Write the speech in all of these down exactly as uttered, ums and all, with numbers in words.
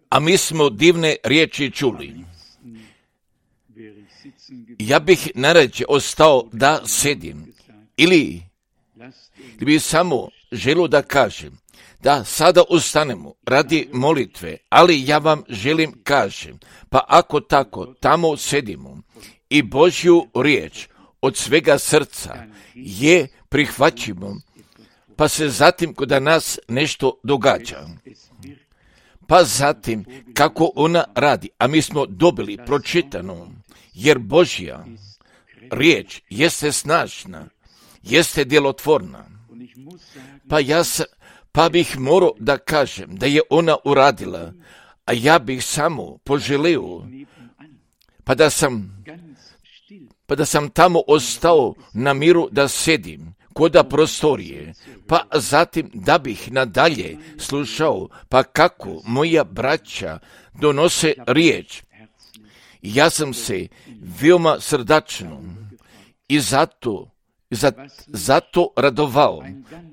A mi smo divne riječi čuli. Ja bih najrađe ostao da sedim, ili bi samo želio da kažem da sada ustanemo radi molitve, ali ja vam želim kažem, pa ako tako tamo sedimo i Božju riječ od svega srca je prihvaćimo, pa se zatim kod nas nešto događa. Pa zatim kako ona radi, a mi smo dobili pročitano, jer Božja riječ jeste snažna, jeste djelotvorna. Pa ja sa, pa bih morao da kažem da je ona uradila, a ja bih samo poželio, pa da sam, pa da sam tamo ostao na miru da sedim koda prostorije, pa zatim da bih nadalje slušao, pa kako moja braća donose riječ. Ja sam se veoma srdačno i zato, zato radovao,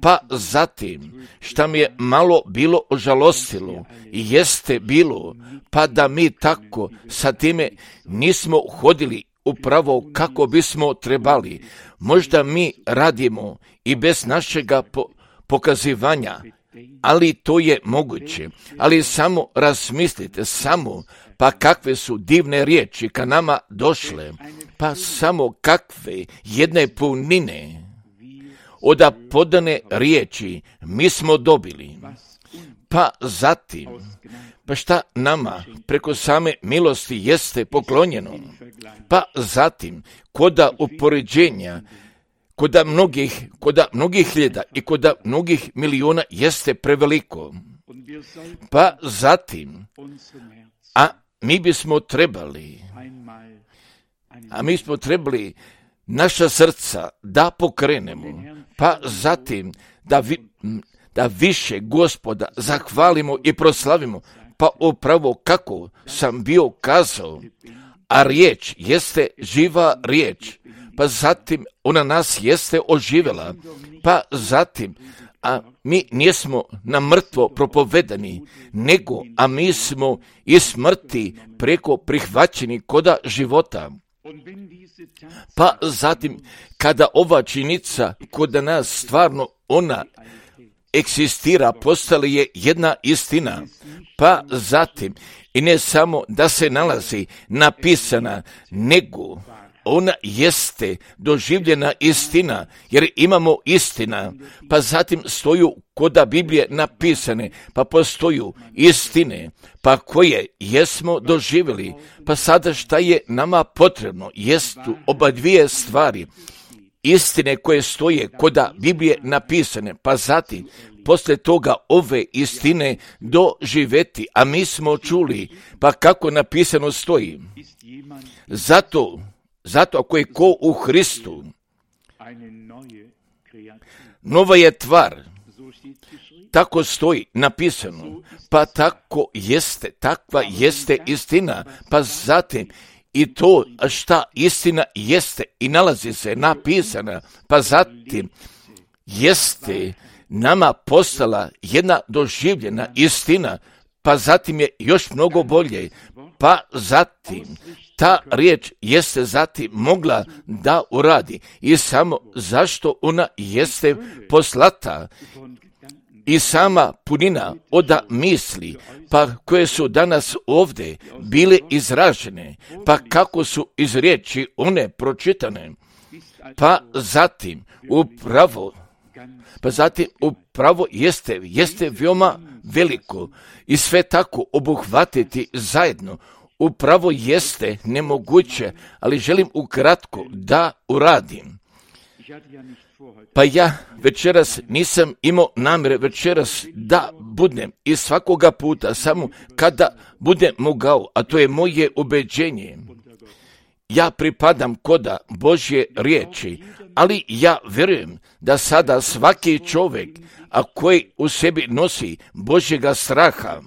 pa zatim šta mi je malo bilo ožalostilo, jeste bilo, pa da mi tako sa time nismo hodili upravo kako bismo trebali. Možda mi radimo i bez našega po- pokazivanja, ali to je moguće. Ali samo razmislite, samo, pa kakve su divne riječi ka nama došle, pa samo kakve jedne punine od podane riječi mi smo dobili. Pa zatim, pa šta nama preko same milosti jeste poklonjeno, pa zatim koda upoređenja, koda mnogih, koda mnogih hiljada i koda mnogih miliona jeste preveliko. Pa zatim, a mi bismo trebali, a mi smo trebali naša srca da pokrenemo, pa zatim da, vi, da više Gospoda zahvalimo i proslavimo, pa upravo kako sam bio kazao, a riječ jeste živa riječ, pa zatim ona nas jeste oživjela, pa zatim, a mi nismo na mrtvo propovedani, nego, a mi smo iz smrti preko prihvaćeni koda života. Pa zatim, kada ova činjenica kod nas stvarno ona eksistira, postala je jedna istina, pa zatim, i ne samo da se nalazi napisana, nego ona jeste doživljena istina, jer imamo istina, pa zatim stoju koda Biblije napisane, pa postoju istine, pa koje jesmo doživjeli, pa sada šta je nama potrebno, jestu oba dvije stvari, istine koje stoje koda Biblije napisane, pa zatim poslije toga ove istine doživeti, a mi smo čuli, pa kako napisano stoji. Zato, zato ako je ko u Hristu, nova je tvar, tako stoji napisano, pa tako jeste, takva jeste istina, pa zatim i to šta istina jeste i nalazi se napisana, pa zatim jeste nama postala jedna doživljena istina, pa zatim je još mnogo bolje, pa zatim ta riječ jeste zatim mogla da uradi i samo zašto ona jeste poslata i sama punina od misli, pa koje su danas ovdje bile izražene, pa kako su iz riječi one pročitane, pa zatim upravo Pa zatim upravo jeste, jeste veoma veliko i sve tako obuhvatiti zajedno. Upravo jeste nemoguće, ali želim ukratko da uradim. Pa ja večeras nisam imao namjere večeras da budem i svakoga puta samo kada budem mogao, a to je moje ubeđenje. Ja pripadam koda Božje riječi, ali ja vjerujem da sada svaki čovjek, a koji u sebi nosi Božjega straha,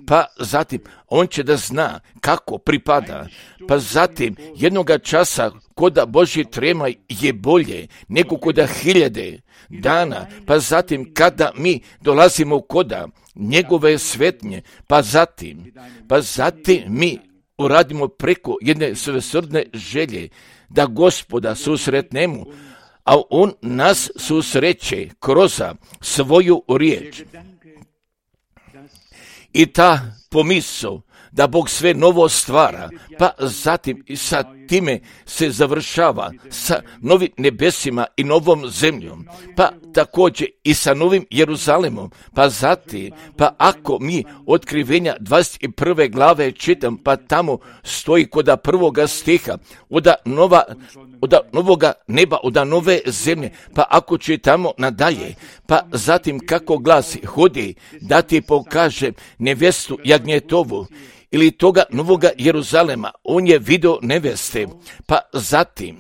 pa zatim on će da zna kako pripada, pa zatim jednoga časa koda Božji trema je bolje nego koda hiljade dana, pa zatim kada mi dolazimo koda njegove svetnje, pa zatim, pa zatim mi uradimo preko jedne svesrdne želje da Gospoda susretnemo, a on nas susreće kroz svoju riječ. I ta pomisao da Bog sve novo stvara, pa zatim i sa time se završava sa novim nebesima i novom zemljom, pa također i sa novim Jeruzalemom, pa zatim, pa ako mi otkrivenja dvadeset prve glave čitam, pa tamo stoji koda prvoga stiha, oda nova, oda novoga neba, oda nove zemlje, pa ako čitamo nadalje, pa zatim kako glasi, hodi da ti pokaže nevjestu jagnjetovu, ili toga novoga Jeruzalema, on je vidio neveste, pa zatim,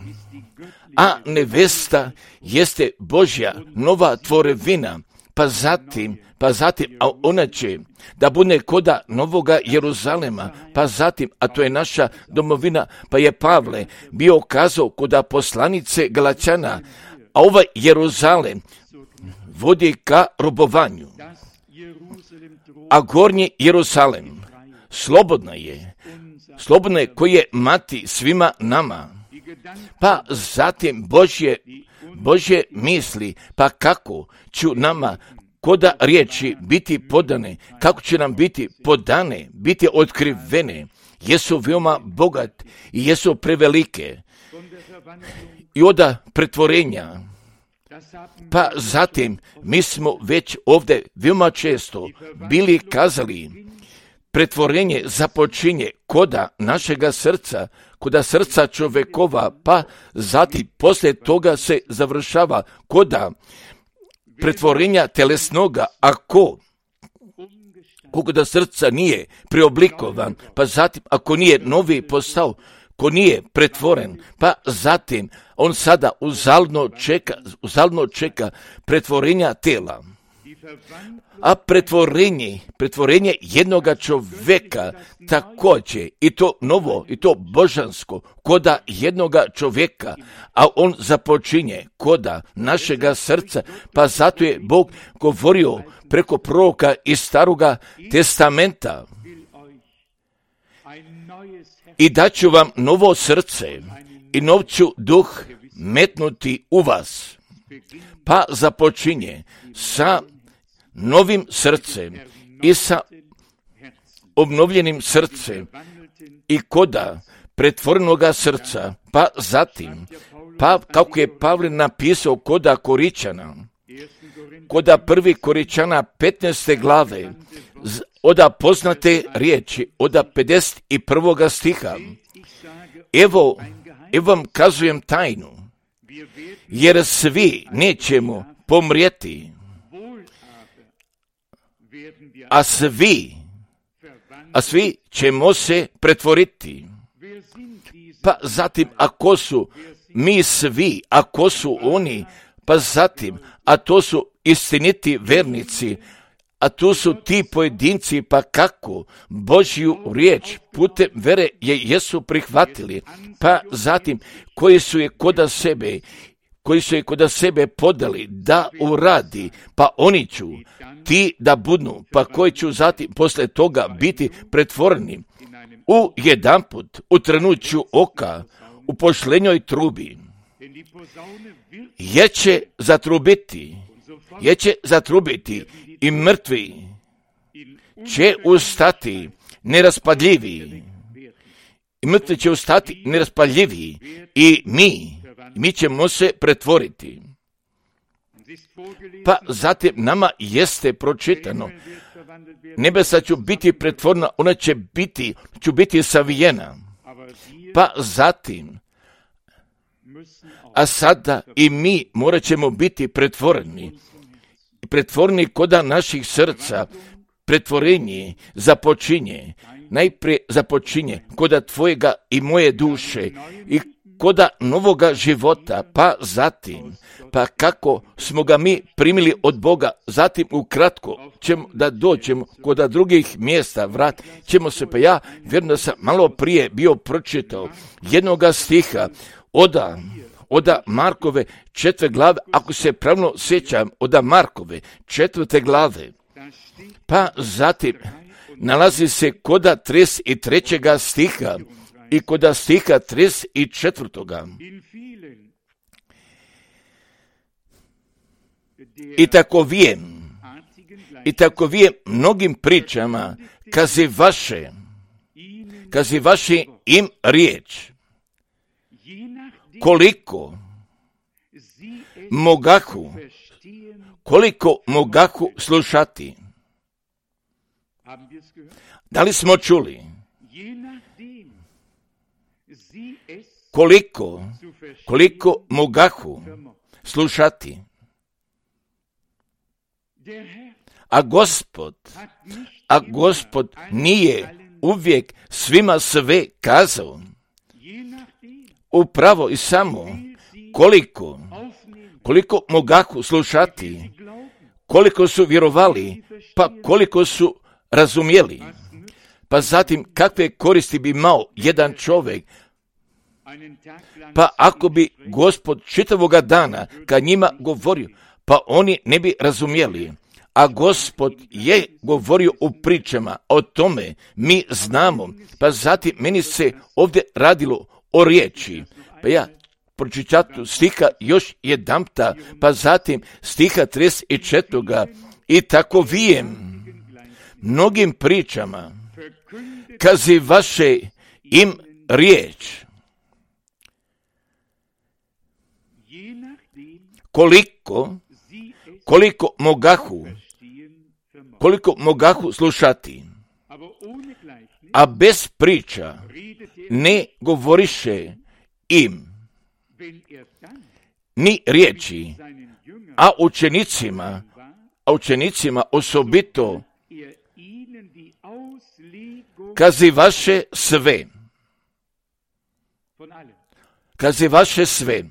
a nevesta jeste Božja nova tvorevina, pa zatim, pa zatim, a ona će da bude koda novoga Jeruzalema, pa zatim, a to je naša domovina, pa je Pavle bio kazao koda poslanice Galačana, a ovaj Jeruzalem vodi ka robovanju, a gornji Jeruzalem slobodna je, slobodna je koji je mati svima nama, pa zatim Božje, Božje misli, pa kako ću nama koda riječi biti podane, kako će nam biti podane, biti otkrivene, jesu veoma bogat i jesu prevelike i oda pretvorenja. Pa zatim mi smo već ovdje veoma često bili kazali, pretvorenje započinje koda našega srca, koda srca čovjekova, pa zatim poslije toga se završava koda pretvorenja telesnoga, ako koliko da srca nije preoblikovan, pa zatim ako nije novi postao, ko nije pretvoren, pa zatim on sada uzalno čeka, uzalno čeka pretvorenja tela. A pretvorenje, pretvorenje jednoga čovjeka također, i to novo, i to božansko, koda jednoga čovjeka, a on započinje koda našega srca, pa zato je Bog govorio preko proroka iz Staroga testamenta. I daću vam novo srce i nov ću duh metnuti u vas. Pa započinje sa novim srcem i sa obnovljenim srcem i koda pretvorenoga srca, pa zatim, pa kako je Pavle napisao koda Koričana, koda prvi Koričana petnaeste glave, oda poznate riječi, oda pedeset prvoga stiha. Evo, evo vam kazujem tajnu, jer svi nećemo pomrijeti, a svi, a svi ćemo se pretvoriti. Pa zatim, ako su mi svi, ako su oni, pa zatim, a to su istiniti vernici, a tu su ti pojedinci, pa kako Božju riječ putem vere je jesu prihvatili, pa zatim koji su je koda sebe, koji su je koda sebe podali da uradi, pa oni ću ti da budnu, pa koji ću zatim posle toga biti pretvoreni u jedanput, u trenuću oka, u pošlenjoj trubi. Jer će zatrubiti, jer će zatrubiti i mrtvi će ustati neraspadljivi. I mrtvi će ustati neraspadljivi i mi, mi ćemo se pretvoriti. Pa zatim nama jeste pročitano, nebesa će biti pretvorena, ona će biti, će biti savijena. Pa zatim, a sada i mi morat ćemo biti pretvoreni. Pretvoreni koda naših srca, pretvorenje započinje, najprije započinje koda tvojega i moje duše i koda novoga života, pa zatim, pa kako smo ga mi primili od Boga, zatim ukratko ćemo da dođemo koda drugih mjesta, vrat ćemo se, pa ja vjerujem da sam malo prije bio pročitao jednoga stiha, oda, od Markove četvrte glave, ako se pravilno sjećam, od Markove četvrte glave. Pa zatim nalazi se koda trideset trećega stiha i koda stiha trideset četvrtoga. I tako vijem, i tako vijem mnogim pričama, kazi vaše, kazi vaše im riječ, koliko mogahu, koliko mogahu slušati. Da li smo čuli? Koliko, koliko mogahu slušati. A Gospod, a Gospod nije uvijek svima sve kazao. Upravo i samo koliko, koliko mogahu slušati, koliko su vjerovali, pa koliko su razumjeli. Pa zatim kakve koristi bi imao jedan čovjek, pa ako bi Gospod čitavoga dana kad njima govorio, pa oni ne bi razumjeli. A Gospod je govorio u pričama, o tome mi znamo. Pa zatim meni se ovdje radilo o riječi. Pa ja pročitatu stiha još jedanputa, pa zatim stiha trideset četvrtoga. I tako vijem mnogim pričama, kazi vaše im riječ. Koliko, koliko mogahu, koliko mogahu slušati, a bez priča ne govoriše im ni riječi, a učenicima, a učenicima osobito kazi vaše sve, kazi vaše sve,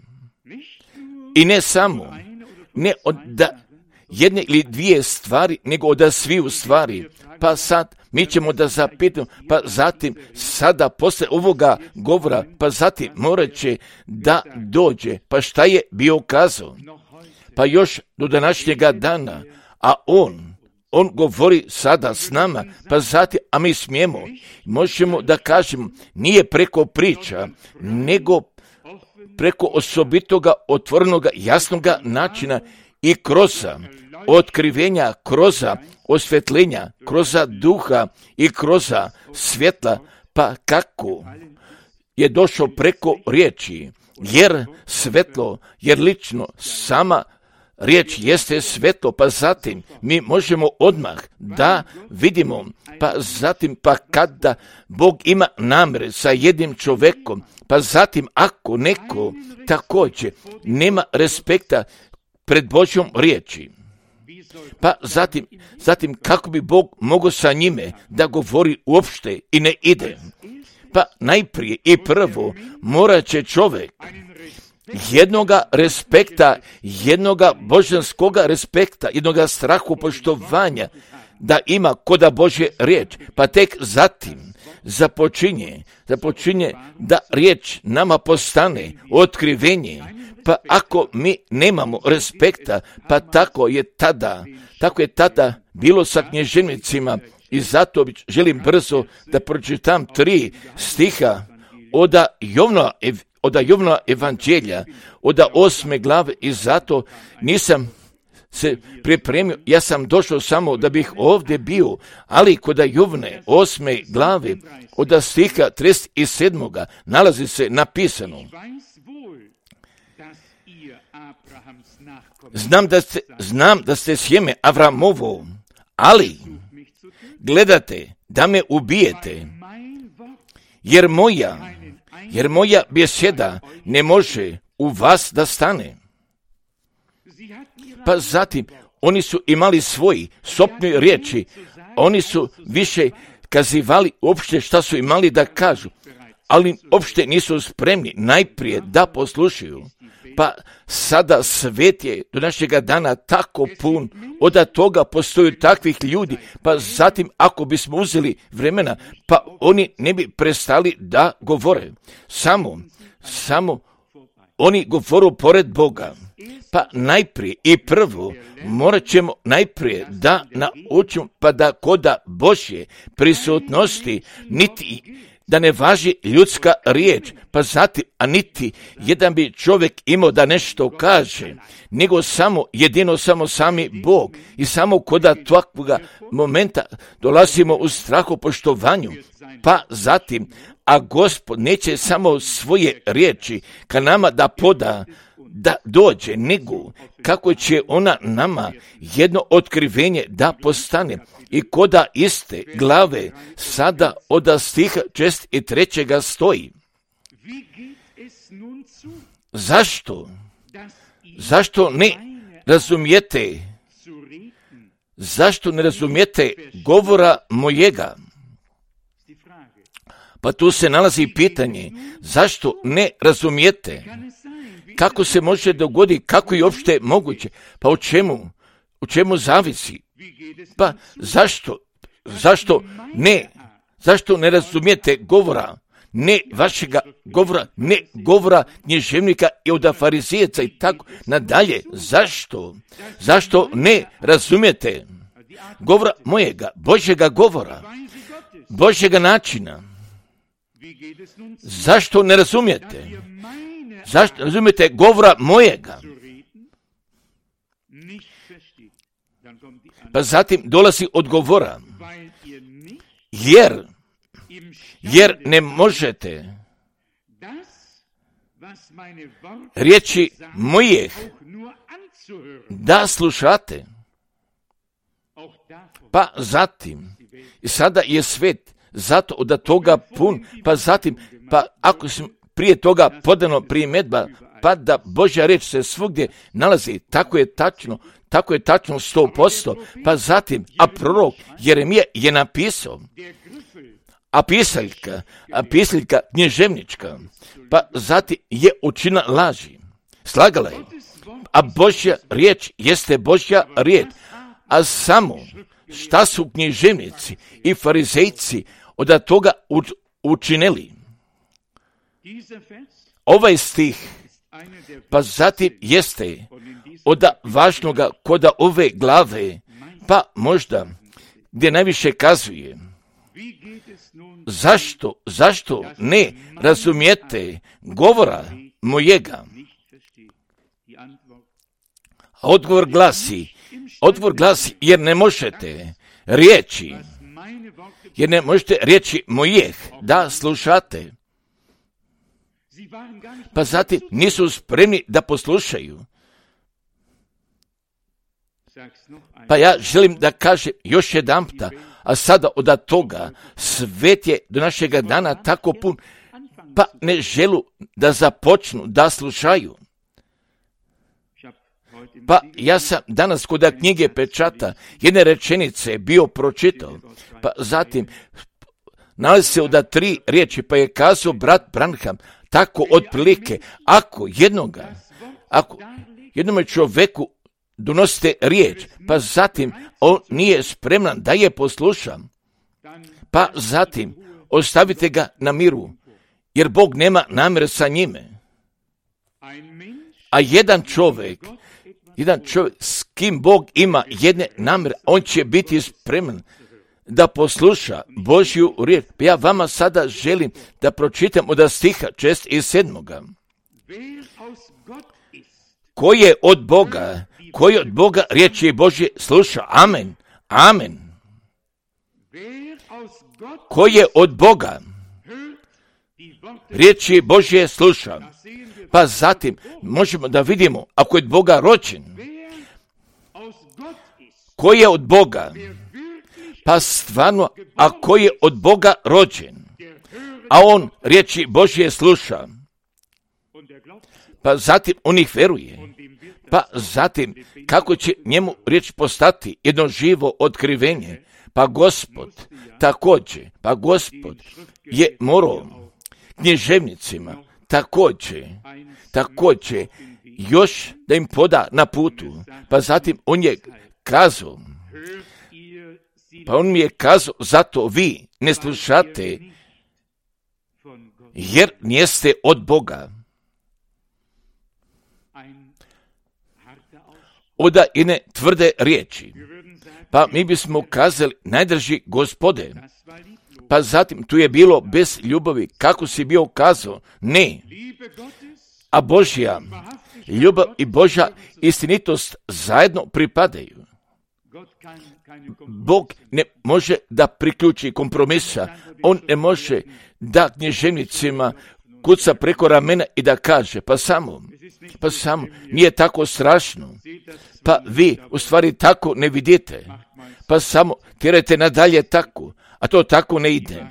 i ne samo, ne od da jedne ili dvije stvari, nego od sviju stvari. Pa sad mi ćemo da zapitamo, pa zatim sada posle ovoga govora, pa zatim morat će da dođe, pa šta je bio kazao? Pa još do današnjega dana, a on, on govori sada s nama, pa zatim, a mi smijemo, možemo da kažemo, nije preko priča, nego preko osobitoga, otvorenoga, jasnoga načina i kroz otkrivenja, kroz osvjetljenja, kroz duha i kroz svjetla, pa kako je došao preko riječi, jer svetlo, jer lično sama riječ jeste svetlo, pa zatim mi možemo odmah da vidimo, pa zatim pa kada Bog ima namere sa jednim čovjekom, pa zatim ako neko također nema respekta pred Božjom riječi, pa zatim, zatim kako bi Bog mogao sa njime da govori uopšte i ne ide. Pa najprije i prvo morat će čovjek jednoga respekta, jednoga božanskoga respekta, jednoga strahu poštovanja da ima koda Božje riječ, pa tek zatim započinje, započinje da riječ nama postane otkrivenje. Pa ako mi nemamo respekta, pa tako je tada, tako je tada bilo sa knježevnicima, i zato želim brzo da pročitam tri stiha od Jovna, od Jovna evanđelja, od osme glave, i zato nisam se pripremio, ja sam došao samo da bih ovdje bio, ali kod Jovne osme glave, od stiha trideset sedmoga nalazi se napisano: Znam da ste, znam da ste sjeme Avramovo, ali gledate da me ubijete, jer moja, jer moja beseda ne može u vas da stane. Pa zatim, oni su imali svoji sopne riječi, oni su više kazivali uopšte šta su imali da kažu, ali uopšte nisu spremni najprije da poslušaju. Pa sada svet je do našega dana tako pun, od toga postoju takvih ljudi, pa zatim ako bismo uzeli vremena, pa oni ne bi prestali da govore. Samo, samo oni govoru pored Boga. Pa najprije i prvo morat ćemo najprije da naučimo pa da koda Božje prisutnosti niti da ne važi ljudska riječ, pa zatim, a niti jedan bi čovjek imao da nešto kaže, nego samo, jedino samo sami Bog i samo koda takvoga momenta dolazimo u strahopoštovanju, pa zatim, a Gospod neće samo svoje riječi ka nama da poda, da dođe, nego kako će ona nama jedno otkrivenje da postane. I koda iste glave sada od stiha šest i trećega stoji. Zašto? Zašto ne razumijete? Zašto ne razumijete govora mojega? Pa tu se nalazi pitanje, zašto ne razumijete? Kako se može dogoditi, kako je uopšte moguće? Pa u čemu? U čemu zavisi? Pa zašto? Zašto ne? Zašto ne razumijete govora? Ne vašega govora, ne govora književnika i od farizijeca i tako nadalje. Zašto? Zašto ne razumijete govora mojega, Božjega govora, Božjega načina? Zašto ne razumijete? Zašto razumijete govora mojega? Pa zatim dolazi odgovora. Jer, jer ne možete riječi mojih da slušate. Pa zatim, i sada je svet zato od toga pun, pa zatim, pa ako sam prije toga podano primjedba, pa da Božja riječ se svugdje nalazi, tako je tačno, tako je tačno sto posto, pa zatim, a prorok Jeremija je napisao, a pisaljka, a pisaljka književnička, pa zatim je učinila laži, slagala je, a Božja riječ jeste Božja riječ, a samo šta su književnici i farizejci od toga učinili. Ovaj stih, pa zatim jeste od važnoga koda ove glave, pa možda gdje najviše kazuje. Zašto, zašto ne razumijete govora mojega? Odgovor glasi, odgovor glasi jer ne možete riječi, jer ne možete riječi mojih da slušate. Pa zatim nisu spremni da poslušaju. Pa ja želim da kažem još jedanputa, a sada od toga svet je do našega dana tako pun, pa ne želu da započnu da slušaju. Pa ja sam danas kod knjige pečata jedne rečenice bio pročitao, pa zatim nalazi se od tri riječi, pa je kazao brat Branham, tako otprilike, ako jednoga, ako jednome čovjeku donosite riječ, pa zatim on nije spreman da je posluša, pa zatim ostavite ga na miru, jer Bog nema namjere sa njime. A jedan čovjek, jedan čovjek s kim Bog ima jedne namjere, on će biti spreman da posluša Božju riječ. Ja vama sada želim da pročitam od stiha šest i sedmoga. Ko je od Boga, ko je od Boga riječi Božje sluša. Amen. Amen. Ko je od Boga riječi Božje sluša. Pa zatim možemo da vidimo ako je od Boga rođen. Ko je od Boga? Pa stvarno, ako je od Boga rođen, a on riječi Božje sluša, pa zatim on ih veruje, pa zatim kako će njemu riječ postati jedno živo otkrivenje, pa Gospod također, pa Gospod je morao književnicima također, također još da im poda na putu, pa zatim on je kazao, pa on mi je kazao, zato vi ne slušate, jer niste od Boga. od jedne tvrde riječi. Pa mi bismo kazali, najdraži Gospode, pa zatim tu je bilo bez ljubavi, kako si bio kazao, ne. A Božja ljubav i Božja istinitost zajedno pripadaju. Bog ne može da priključi kompromisa, on ne može da književnicima kuca preko ramena i da kaže, pa samo, pa samo, nije tako strašno, pa vi u stvari tako ne vidite, pa samo tjerajte nadalje tako, a to tako ne ide.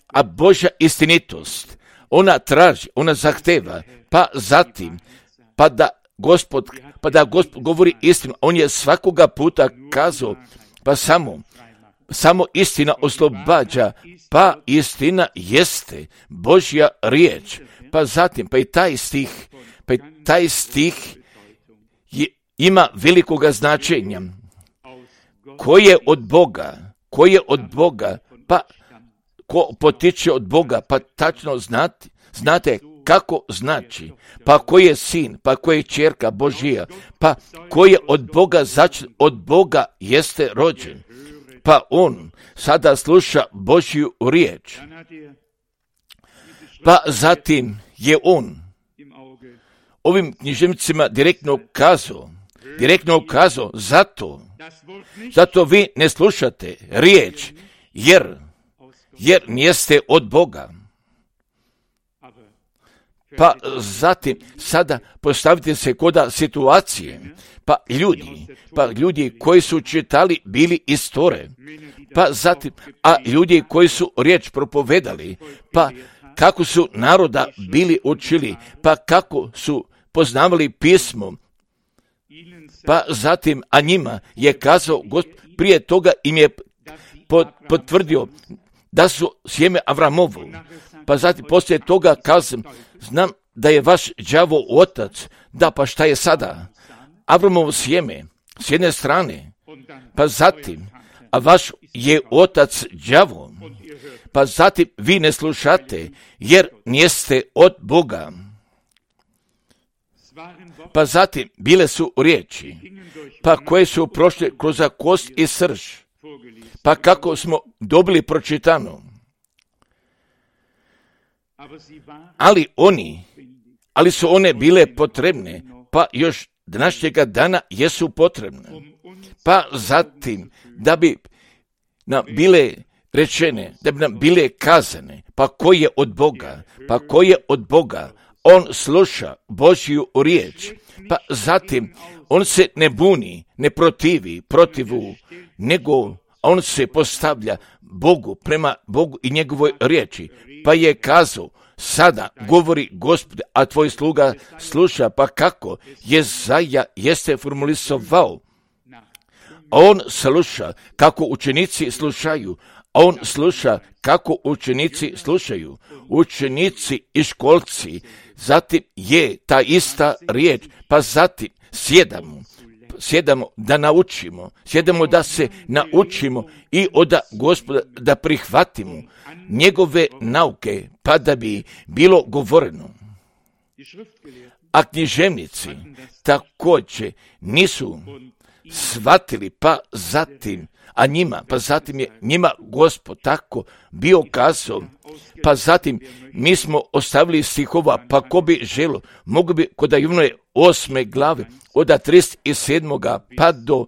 A Božja istinitost, ona traži, ona zahteva, pa zatim, pa da Gospod, pa da Gospod govori istinu, on je svakoga puta kazao, pa samo, samo istina oslobađa, pa istina jeste Božja riječ. Pa zatim, pa i taj stih, pa i taj stih je, ima velikoga značenja. Ko je od Boga, ko je od Boga, pa ko potiče od Boga, pa tačno znate, znate kako znači, pa ko je sin, pa ko je ćerka Božija, pa ko je od Boga začet, od Boga jeste rođen, pa on sada sluša Božju riječ. Pa zatim je on ovim književnicima direktno kazao, direktno kazao, zato, zato vi ne slušate riječ, jer, jer nijeste od Boga. Pa zatim, sada postavite se koda situacije, pa ljudi, pa ljudi koji su čitali bili iz Tore, pa zatim, a ljudi koji su riječ propovedali, pa kako su naroda bili učili, pa kako su poznavali pismo, pa zatim, a njima je kazao, prije toga im je potvrdio da su sjeme Avramovu, pa zatim poslije toga kazam, znam da je vaš đavo otac, da pa šta je sada? Avramovo sjeme, s jedne strane, pa zatim, a vaš je otac đavo, pa zatim vi ne slušate, jer nijeste od Boga. Pa zatim bile su riječi, pa koje su prošle kroz kost i srž, pa kako smo dobili pročitano. Ali oni, ali su one bile potrebne, pa još današnjega dana jesu potrebne. Pa zatim, da bi nam bile rečene, da bi nam bile kazane, pa ko je od Boga, pa ko je od Boga, on sluša Božju riječ, pa zatim on se ne buni, ne protivi protivu, nego on se postavlja Bogu, prema Bogu i njegovoj riječi, pa je kazao, sada govori Gospod, a tvoj sluga sluša, pa kako Jezaja jeste formulisovao. On sluša kako učenici slušaju, on sluša kako učenici slušaju, učenici i školci, zatim je ta ista riječ, pa zatim sjedamo, sjedamo da naučimo, sjedamo da se naučimo i od Gospoda da prihvatimo njegove nauke, pa da bi bilo govoreno. A književnici također nisu shvatili, pa zatim, a njima, pa zatim je njima Gospod tako bio kazao, pa zatim mi smo ostavili stihova, pa ko bi želo, mogu bi kod Jovnove osme glave, od trideset sedam pa do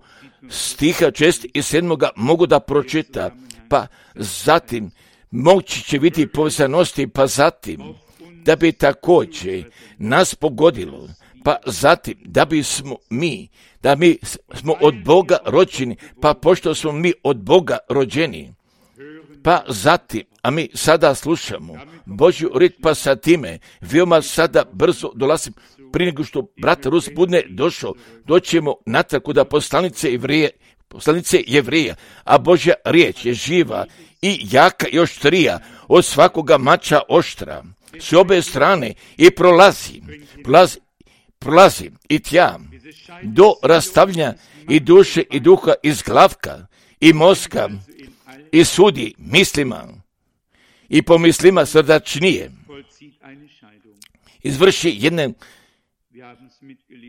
stiha šezdeset sedam mogu da pročita, pa zatim moći će biti povezanosti, pa zatim da bi također nas pogodilo, pa zatim da bismo mi, da mi smo od Boga rođeni, pa pošto smo mi od Boga rođeni, pa zatim, a mi sada slušamo Božju riječ, pa sa time veoma sada brzo dolazim, prije nego što brat Rus budne došao, doćemo natrag kuda poslanice Jevreje, poslanice Jevreja, a Božja riječ je živa i jaka i oštrija od svakoga mača oštra, s obe strane i prolazi, prolazi, prolazi i tja, do rastavljanja i duše i duha iz glavka i mozga i sudi mislima i pomislima srdačnije. Izvrši jedne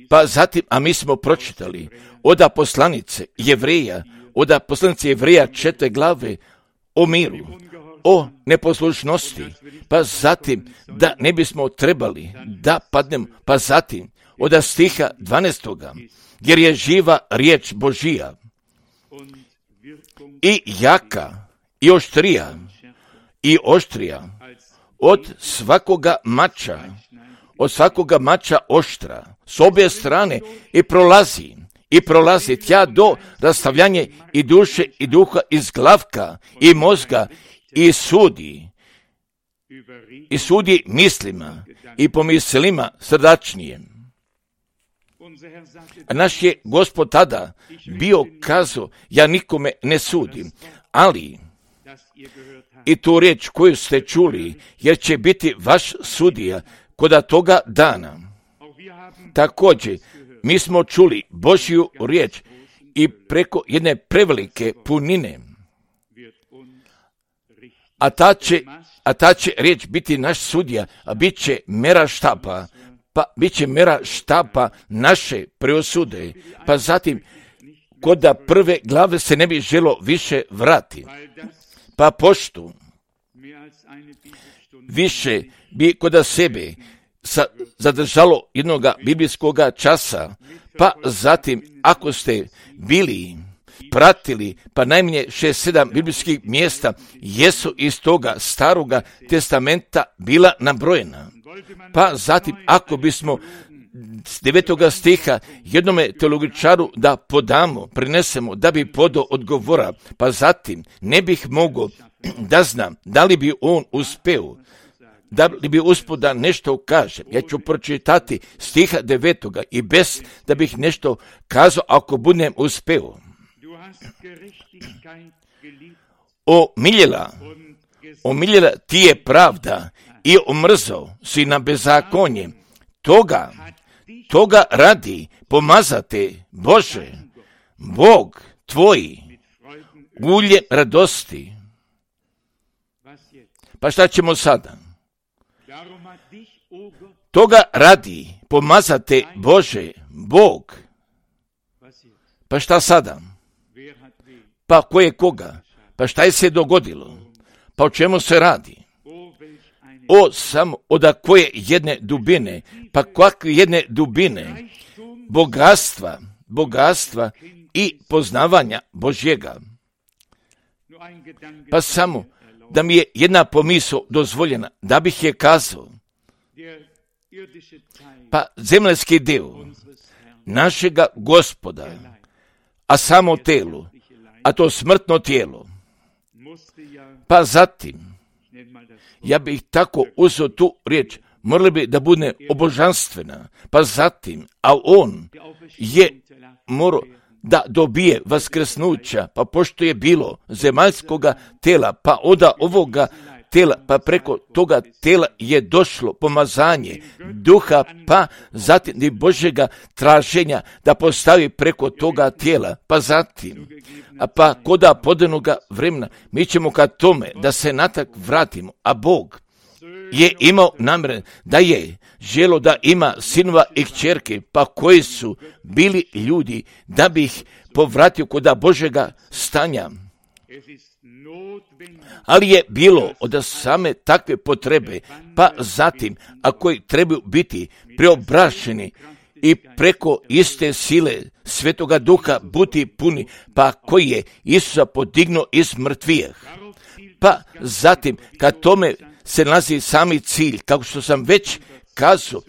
Pa zatim, a mi smo pročitali od poslanice Jevreja, od poslanice Jevreja četiri glave o miru, o neposlušnosti, pa zatim da ne bismo trebali da padnemo, pa zatim od stiha dvanaestoga, jer je živa riječ Božija i jaka i oštrija i oštrija od svakoga mača, od svakoga mača oštra, s obje strane i prolazi, i prolazi tja do rastavljanja i duše i duha iz glavka i mozga i sudi, i sudi mislima i pomislima srdačnije. A naš je Gospod tada bio kazao, ja nikome ne sudim, ali i tu riječ koju ste čuli, jer će biti vaš sudija koda toga dana. Također, mi smo čuli Božju riječ i preko jedne prevelike punine, a ta će, a ta će riječ biti naš sudija, a bit će mera štapa, pa bit će mera štapa naše preosude, pa zatim koda prve glave se ne bi želo više vrati, pa pošto više bi koda sebe sa, zadržalo jednoga biblijskoga časa, pa zatim ako ste bili pratili, pa najmanje šest sedam biblijskih mjesta jesu iz toga staroga testamenta bila nabrojena. Pa zatim ako bismo s devetoga stiha jednome teologičaru da podamo, prinesemo, da bi podao odgovora, pa zatim ne bih mogao da znam da li bi on uspeo, da li bi uspio da nešto kaže. Ja ću pročitati stiha devetoga i bez da bih nešto kazao ako budem uspeo. Omiljela, omiljela ti je pravda i omrzao si na bezakonje. Toga, toga radi pomazate, Bože, Bog tvoji, uljem radosti. Pa šta ćemo sada? Toga radi pomazate, Bože, Bog. Pa šta sada? Pa ko je koga? Pa šta je se dogodilo? Pa o čemu se radi? O samo od koje jedne dubine, pa kakve jedne dubine, bogatstva, bogatstva i poznavanja Božjega. Pa samo da mi je jedna pomisao dozvoljena, da bih je kazao, pa zemljski dio našega Gospoda, a samo telo, a to smrtno tijelo, pa zatim, ja bih tako uzeo tu riječ, morali bi da bude obožanstvena, pa zatim, a on je morao da dobije vaskrsnuća, pa pošto je bilo zemaljskoga tela, pa od ovoga tela, pa preko toga tela je došlo pomazanje duha, pa zatim i Božjega traženja da postavi preko toga tijela, pa zatim, a pa koda podanoga vremena, mi ćemo ka tome da se natak vratimo, a Bog je imao namjer da je želo da ima sinova i kćerke, pa koji su bili ljudi, da bi ih povratio koda Božjega stanja. Ali je bilo od same takve potrebe, pa zatim, a koji trebaju biti preobrašeni i preko iste sile Svetoga Duha biti puni, pa koji je Isusa podignuo iz mrtvijih. Pa zatim, kad tome se nalazi sami cilj, kako što sam već kazao,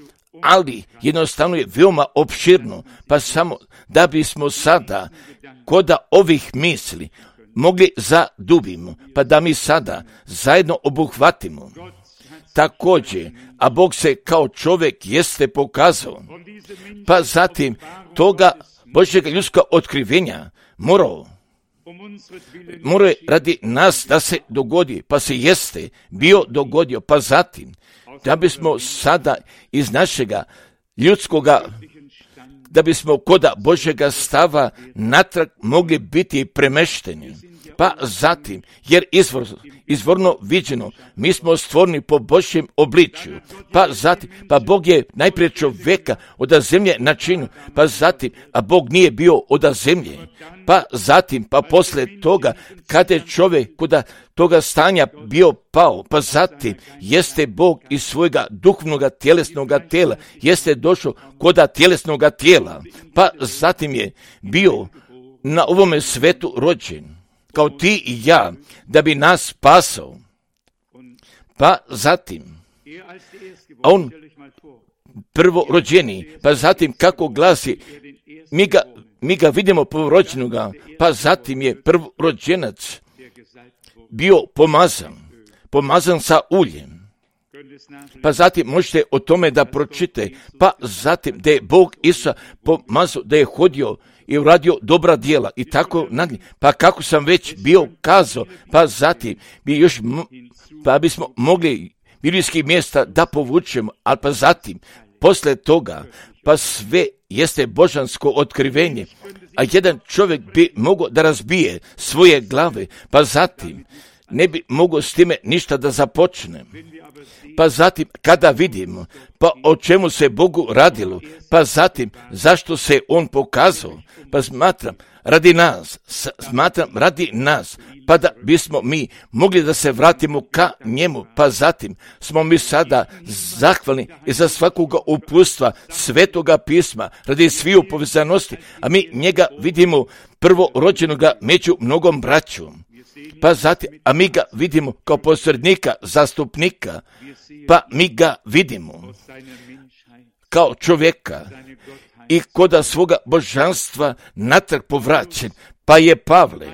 ali jednostavno je veoma opširno, pa samo da bismo sada koda ovih misli mogli zadubimo, pa da mi sada zajedno obuhvatimo. Također, a Bog se kao čovjek jeste pokazao, pa zatim toga Božjega ljudska otkrivenja morao, morao je radi nas da se dogodi, pa se jeste bio dogodio, pa zatim da bismo sada iz našega ljudskoga, da bismo koda Božjega stava natrag mogli biti premešteni. pa zatim, jer izvor, izvorno viđeno, mi smo stvoreni po Božjem obličju, pa zatim, pa Bog je najprije čovjeka od zemlje načinio, pa zatim, a Bog nije bio od zemlje, pa zatim, pa poslije toga, kada je čovjek kuda toga stanja bio pao, pa zatim jeste Bog iz svojega duhovnog tjelesnog tijela, jeste došao koda tjelesnog tijela, pa zatim je bio na ovome svetu rođen, kao ti i ja, da bi nas spasao. Pa zatim, a on prvo rođeni, pa zatim kako glasi, mi ga, mi ga vidimo prvorođenoga, pa zatim je prvorođenac bio pomazan, pomazan sa uljem. Pa zatim možete o tome da pročite, pa zatim da je Bog Isusa pomazao, da je hodio i uradio dobra djela i tako nadalje. Pa kako sam već bio kazao, pa zatim bi još, pa bismo mogli biblijskih mjesta da povučemo, ali pa zatim, posle toga, pa sve jeste božansko otkrivenje, a jedan čovjek bi mogao da razbije svoje glave, pa zatim ne bi mogao s time ništa da započne. Pa zatim, kada vidimo, pa o čemu se Bogu radilo, pa zatim, zašto se On pokazao, pa smatram, radi nas, smatram radi nas, pa da bismo mi mogli da se vratimo ka njemu, pa zatim smo mi sada zahvalni i za svakoga uputstva Svetoga pisma, radi sviju povezanosti, a mi njega vidimo prvorođenoga među mnogom braćom. Pa zatim, a mi ga vidimo kao posrednika, zastupnika, pa mi ga vidimo kao čovjeka i koda svoga božanstva natrag povraćen, pa je Pavle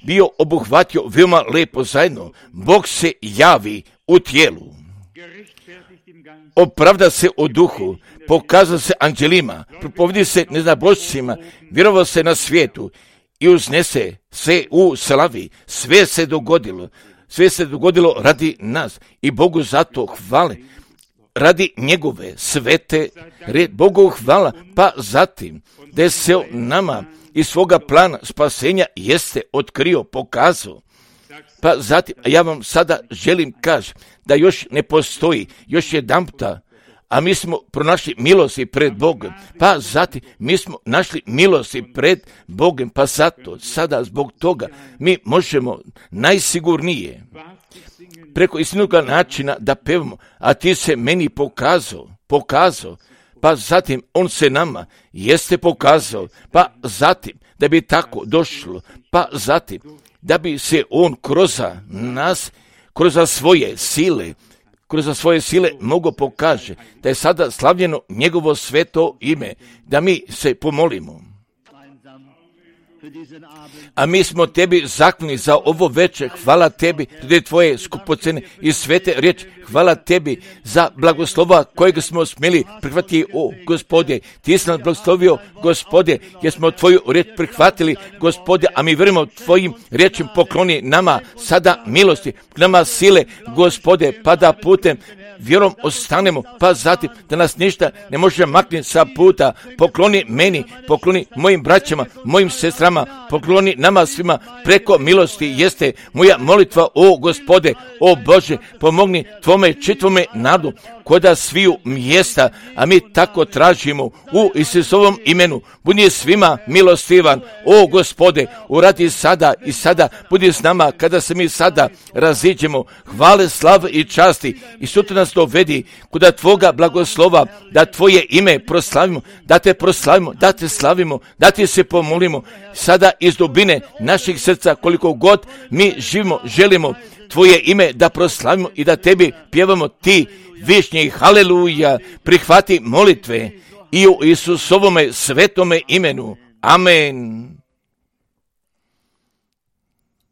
bio obuhvatio veoma lepo zajedno. Bog se javi u tijelu, opravda se u duhu, pokazao se anđelima, propovedi se neznabošcima, vjerovao se na svijetu i uznese se u slavi. Sve se dogodilo, sve se dogodilo radi nas i Bogu zato hvale, radi njegove svete red. Bogu hvala, pa zatim da se nama iz svoga plana spasenja jeste otkrio, pokazao. Pa zatim, a ja vam sada želim kaži da još ne postoji, još jedan puta, a mi smo pronašli milosti pred Bogom, pa zatim mi smo našli milosti pred Bogom, pa zato sada zbog toga mi možemo najsigurnije preko istinoga načina da pevamo, a ti se meni pokazao, pokazao, pa zatim on se nama jeste pokazao, pa zatim da bi tako došlo, pa zatim da bi se on kroz nas, kroz svoje sile, kroz svoje sile mogo pokaže da je sada slavljeno njegovo sveto ime, da mi se pomolimo. A mi smo tebi zahvalni za ovo večer. Hvala tebi radi tvoje skupocene i svete riječi. Hvala tebi za blagoslova kojeg smo smjeli prihvatiti, o Gospode. Ti si nas blagoslovio, Gospode, jer smo tvoju riječ prihvatili, Gospode, a mi vjerujemo tvojim riječima. Pokloni nama sada milosti, nama sile, Gospode, pa da putem vjerom ostanemo, pa zatim da nas ništa ne može maknuti sa puta. Pokloni meni, pokloni mojim braćama, mojim sestrama, pokloni nama svima preko milosti jeste moja molitva, o Gospode, o Bože, pomogni tvome čitvome nadu koda sviju mjesta, a mi tako tražimo u Isusovom imenu. Budi svima milostivan, o Gospode, uradi sada i sada, budi s nama kada se mi sada raziđemo. Hvale, slave i časti i sutra nas dovedi kuda tvoga blagoslova, da tvoje ime proslavimo, da te proslavimo, da te slavimo, da ti se pomolimo sada iz dubine naših srca, koliko god mi živimo, želimo tvoje ime da proslavimo i da tebi pjevamo ti višnji. Haleluja, prihvati molitve i u Isusovome svetome imenu. Amen.